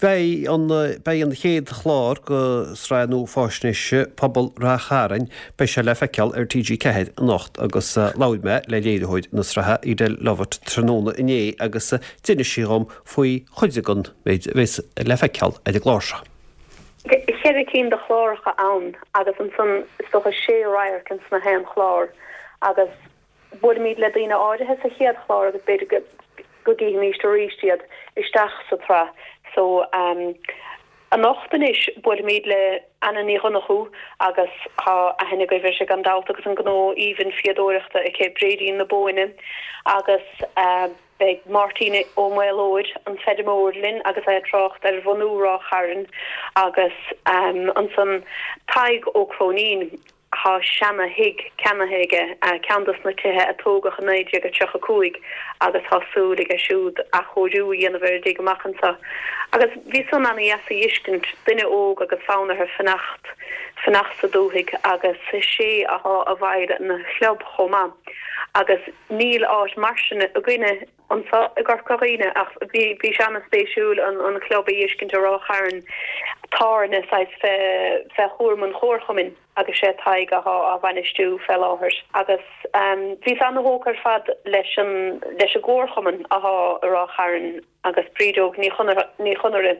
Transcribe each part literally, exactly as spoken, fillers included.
Beidh an beidh an chéad chlár de shraith nua faisnéise Pobal Ráth Chairn, beidh sé le feiceáil ar T G ceathair anocht agus labhair mé le léiritheoir na sraithe, Edel Lovett, tráthnóna inné agus d'inis sí dhom faoi chuid den méid a bheas le feiceáil ar an gclár seo. Ceithre cinn de chláracha ann agus ansan is dócha sé radharc ins na haon chlár agus buailimid le daoine áirithe sa chéad chlár agus b'fhéidir go go gcífimid arís iad isteach sa tsraith. So um, anocht anois buailimid le Anna Ní Dhonnchú agus tá aithne agaibh uirthi gan dabht agus an gnó aoibhinn fíodóireachta aici, Bréidín na Bóinne, agus uh, beidh Máirtín Ó Maolóid, an feirmeoir, linn agus é ag trácht ar bhunú Ráth Chairn agus um, ansan Tadhg Ó Cróinín, tá seana-thigh ceannaithe aige, ceann dos na tithe a tógadh i naoi déag tríocha cúig, agus tá súil aige siúd athchóiriú a dhéanamh ar an dtigh amach anseo. Agus bhí san ana-dheas a fheiscint, duine óg agus fonn air fanacht fanacht sa dúthaigh agus sé atá i bhfeighil an chlub chomh maith. Agus níl áit mar sin againne anseo i gCorca Dhuibhne, ach bhí bhí sé ana-spéisiúil an an club a fheiscint i Ráth Chairn, tábhairne saghas fé fé chúram an chomharchumainn agus sé Tadhg atá á bhainistiú fé láthair. Agus um, bhí ana-thógtha ar fad leis an leis an gcomharchumann atá i Ráth Chairn agus Brídóg ní ní Chonaire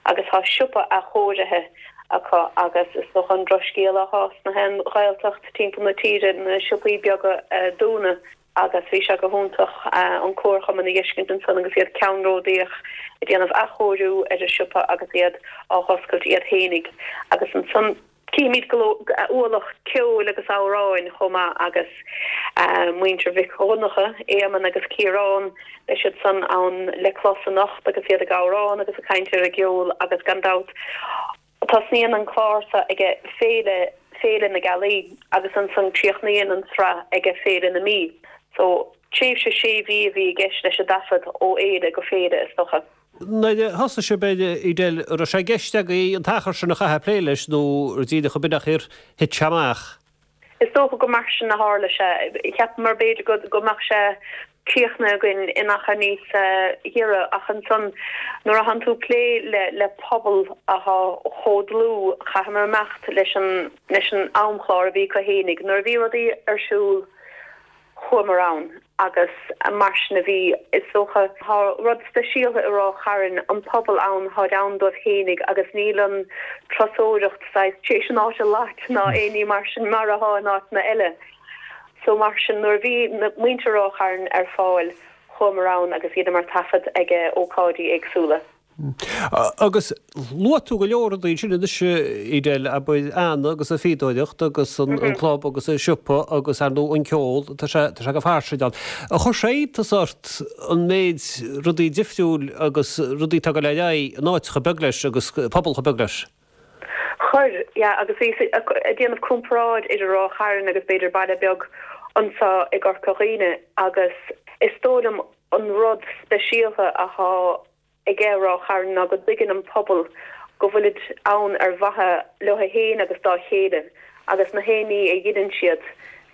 agus tá siopa athchóirithe acu agus is dócha an drochscéal atá sna haon Ghaeltacht timpeall na tíre, na siopaí beaga uh, dúnadh, agus bhí sé go hiontach an comharchumann a fheiscint ansan agus iad ceannródaíoch ag déanamh athchóiriú ar an siopa agus iad á oscailt iad féinig. Agus ansan címid ualach ceoil agus amhráin chomh maith agus uh, muintir Mhic Dhonncha, Éamonn agus Ciarán, beidh siad san ann le clos anocht agus iad ag amhrán agus ag caint ar a gceol. Agus gan dabht tosnaíonn an clár seo ag féile Féile na Gealaí agus ansan críochnaíonn an tsraith ag Féile na Mí. So tréimhse sé mhí a bhí i gceist leis an dtaifead, ó fhéile go féile is dócha. Nuair a thosaigh sibh, Edel, raibh sé i gceist agaibh an t-achar sin a chaitheamh ag plé leis nó díreach ab ea ar thit sé amach? Is dócha go mar sin a tharla sé. Cheapamar b'fhéidir go go mbeadh sé críochnaithe againn in achar níos giorra, ach ansan nuair a thánn tú ag plé le le pobal atá chomh dlúth, chaitheamar imeacht leis an leis an amchlár a bhí acu fhéinig. Nuair a bhí rudaí ar siúl, chuamar ann agus mar sin a bhí. Is dócha tá rud speisialta i Ráth Chairn, an pobal ann, táid ann dóibh fhéinig agus níl an turasóireacht saghas tar éis an áit a leath ná aon ní mar sin mar atá in áiteanna eile. So mar sin nuair a bhí muintir Ráth Chairn ar fáil, chuamar ann agus dheineamar taifead ag ócáidí éagsúla. Agus luaigh tú go leor rudaí ansin anois, Edel, abair Anna agus a fíodóireacht agus an club agus an siopa agus ar ndóigh an ceol, tá sé tá sé go fairsing ann. Ar chuir sé iontas ort an méid rudaí difriúil agus rudaí atá ag dul ar aghaidh in áit chomh beag leis agus pobal chomh beag leis? Chuir, yeah, agus bhí ag déanamh comparáid idir Ráth Chairn agus b'fhéidir baile beag anseo i gCorca Dhuibhne, agus is dóigh liom an rud speisialta atá ag Ráth Chairn ná go dtuigeann an pobal go bhfuilid ann ar mhaithe leo féin agus dá chéile, agus na haon ní a dheineann siad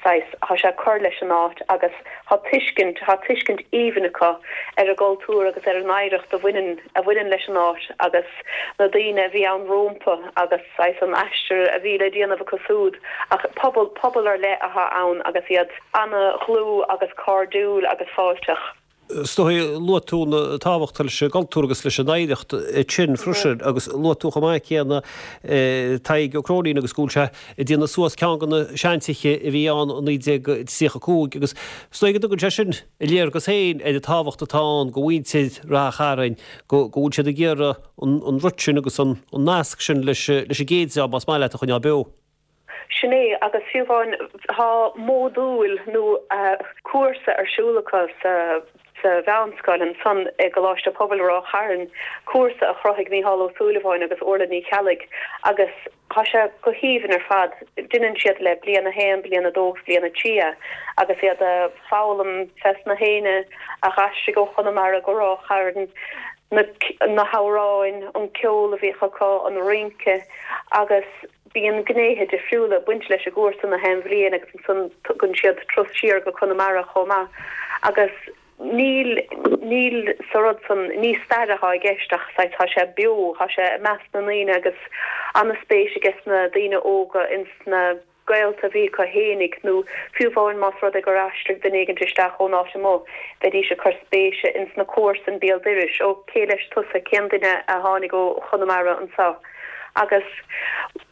saghas tá sé ag cur leis an áit, agus tá tuiscint tá tuiscint aoibhinn acu ar an gcultúr agus ar an oidhreacht a bhaineann a bhaineann leis an áit agus na daoine a bhí ann rómpa agus saghas an aistear a bhí le déanamh acu súd. Ach pobal pobal ar leith atá ann agus iad ana-dhlúth agus cairdiúil agus fáilteach. Is dóigh luaigh tú an tábhacht leis an gcultúr agus leis an oidhreacht sin freisin agus luaigh tú chomh maith céanna Tadhg Ó Cróinín agus go bhfuil sé ag déanamh suas ceann de na seantithe a bhí ann i naoi déag tríocha cúig agus is dóigh go dtugann sé sin a léargas féin ar an tábhacht atá ann do mhuintir Ráth Chairn, go bhfuil siad ag iarraidh an rud sin agus an nasc sin leis an gcéad dream, más maith leat, a choinneáil beo. Sin é, agus fiú amháin tá módúil nó cúrsa ar siúl acu sa sa mheánscoil ansan i gColáiste Pobail Ráth Chairn, cúrsa a chruthaigh Mícheál Ó Súilleabháin agus Orla Ní Cheallaigh, agus tá sé go haoibhinn ar fad. Deineann siad le bliain a haon, bliain a dó agus bliain a trí é, agus iad ag foghlaim fés na héinne a d'aistrigh ó Chonamara go Ráth Chairn, na na hamhráin, an ceol a bhíodh acu, an rince, agus bíonn gnéithe difriúla ag baint leis an gcúrsa na haon bhliain agus ansan tugann siad turas siar go Conamara chomh maith agus Níl, níl sa rud san, ní stair atá i gceist ach saghas tá sé beo, tá sé i measc na ndaoine agus an-spéis aige sna daoine óga ins na gaolta a bhí acu fhéinig nó fiú amháin más rud é gur aistrigh duine éigint isteach ón áit amuigh, bheidís ag cur spéise ins na comharsain béal dorais, ó cé leis tusa, cén duine a tháinig ó Chonamara anseo? Agus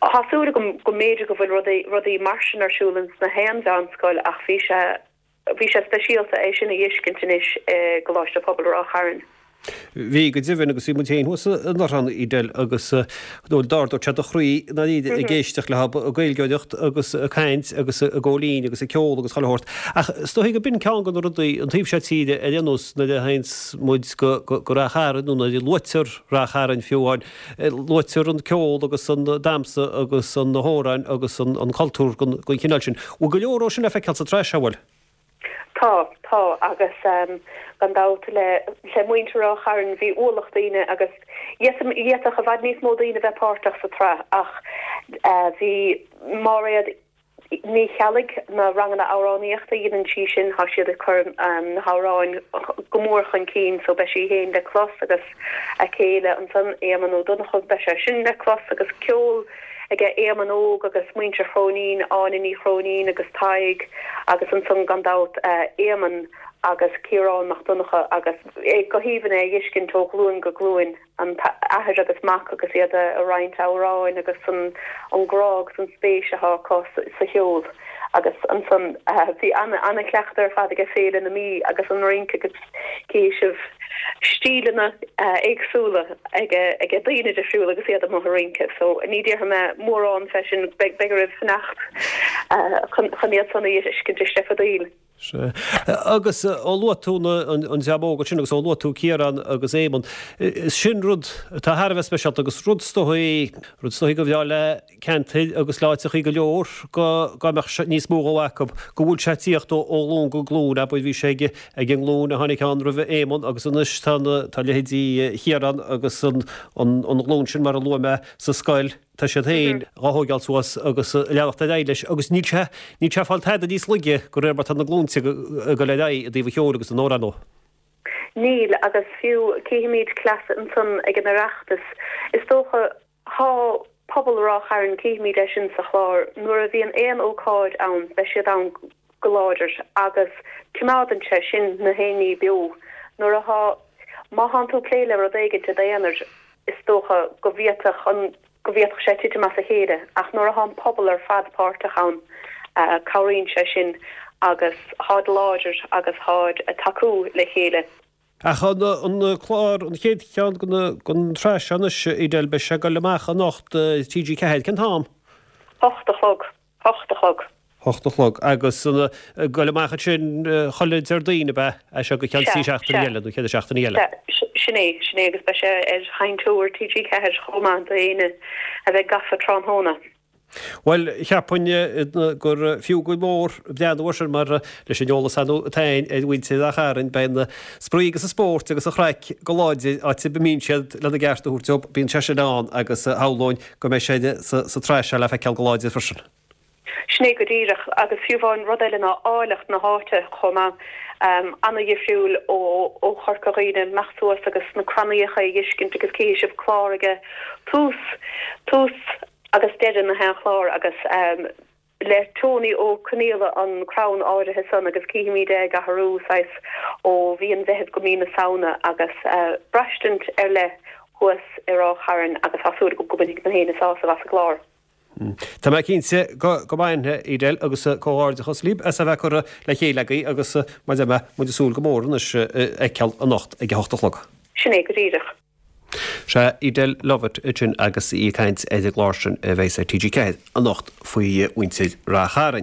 tá súil agam go mb'fhéidir go bhfuil rudaí, rudaí mar sin ar siúl ins na haon mheánscoil ach bhí sé, Bhí sé speisialta é sin a fheiscint anois i gColáiste Pobail Ráth Chairn. Bhí, go deimhin, agus bhí muid féin thuas anuraidh, Edel, agus d'ardódh sé do chroí ndáiríre ag éisteacht leo ag Gaeilgeoireacht agus ag caint agus ag gabháil fhoinn agus ag ceol agus chuile shórt. Ach is dóichí go b'in ceann de na rudaí, an taobh seo tíre ar aon nós, nuair a théanns muid go Ráth Chairn nó nuair a luaitear Ráth Chairn fiú amháin, luaitear an ceol agus an damhsa agus na hamhráin agus an cultúr den chineál sin. Bhfuil go leor dhó sin le feiceáil sa tsraith seo, bhfuil? Tá, tá, agus gan dabht le le muintir Ráth Chairn bhí ualach daoine agus d'fhéadfadh i bhfad níos mó daoine bheith páirteach sa tsraith ach bhí Máiréad Ní Cheallaigh, na ranganna amhránaíochta a dhéanann sí sin, tá siad ag cur na hamhráin go mór chun cinn so beidh sí féin le clos agus a céile ansan Éamonn Ó Donnchadha beidh sé sin le clos agus ceol aige Éamonn Óg agus muintir Chróinín, Áine Ní Chróinín agus Tadhg agus ansan gan dabht Éamonn agus Ciarán Mac Donncha agus go haoibhinn é a fheiscint ó ghlúin go glúin, an t-athair agus mac agus iad a roinnt amhráin agus an grá agus an spéis atá acu sa cheol agus ansan bhí ana-chleachtadh ar fad aige Féile na Mí agus an rince agus cífidh sibh stíleanna éagsúla ag daoine difriúla agus iad amuigh ag rince. So ní déarfaidh mé mórán fé sin, beidh oraibh fanacht chun iad san a fheiscint istigh fa dtaobh. Sea. Agus ó luaigh tú an dream óg sin agus ó luaigh tú Ciarán agus Éamonn, sin rud atá thar a bheith speisialta agus rud is dóigh, rud is dóigh gur bhreá le ceantair agus le áiteachaí go leor go mbeadh níos mó dhó acu, go bhfuil sé ag tíocht ó ghlúin go glúin, abair bhí sé ag an nglúin a tháinig ann roimhe Éamonn agus anois tá na, tá leithéidí Chiaráin agus an ghlúin sin mar a luaigh mé sa scoil, tá siad féin dhá thóigeáil suas agus ag leanacht ar aghaidh leis agus níl sé, níl sé ag fáil tada níos laige de réir mar tá na glúinte ag dul ar aghaidh i dtaobh an cheoil agus na n-amhrán dhó. Níl, agus fiú cífimid cleasa ansan ag an Oireachtas, is dócha, thá pobal Ráth Chairn, cífimid é sin sa chlár, nuair a bhíonn aon ócáid ann beidh siad ann go láidir agus coimeádann sé sin na haon ní beo. Nuair athá, má thánn tú ag plé le rud éigint i d'aonar, is dócha go bhféadfadh an, go bhféadfadh sé titim as a chéile ach nuair athá an pobal ar fad páirteach ann, cabhraíonn sé sin agus tháid láidir agus tháid ag tacú le chéile. Ach an clár, an chéad cheann den tsraith seo anois, Edel, beidh sé ag dul amach anocht ar T G ceathair. Cén t-am? Hocht a chlog. Hocht a chlog. Hocht a chlog. Agus ag dul amach ansin chuile Déardaoin, ab ea? As seo go ceann trí seachtaine eile nó ceithre seachtaine eile. Sea, sin é, sin é agus beidh sé ar sheinnteoir T G ceathair chomh maith d'éinne a bheidh gafa tráthnóna. Bhuel, cheapfainn gur fiú go mór breathnú air sin mar leis an eolas atá againn ar mhuintir Ráth Chairn, beidh an spraoi agus an spórt agus an chraic go láidir áit ar bith a mbíonn siad lena gceart a thabhairt dóibh, bíonn sé sin ann agus shamhlóinn go mbeidh sé sa tsraith seo le feiceáil go láidir freisin. Sin é go díreach, agus fiú amháin rud eile ná áilleacht na háite chomh maith, ana-dhifriúil ó Chorca Dhuibhne, imeacht suas agus na crannaíocha a fheiscint agus cífidh sibh clár aige tús, tús agus deireadh na haon chlár agus le Tony Ó Conaola an crann áirithe san agus cífimid é ag athrú saghas ó mhí an Mheithimh go mí na Samhna agus braistint ar leith thuas i Ráth Chairn agus tá súil agam go mbainfidh na héinne sásamh as an gclár. Tá mé cinnte go mbainfidh, Edel, agus comhghairdeachas libh as a bheith curtha le chéile agaibh agus mar a deir mé, muid ag súil go mór anois a fheiceáil anocht ag a hocht a chlog. Sin é go díreach. Sea, Edel Lovett ansin agus í ag caint ar an gclár sin a bheas ar T G ceathair anocht faoi mhuintir Ráth Chairn.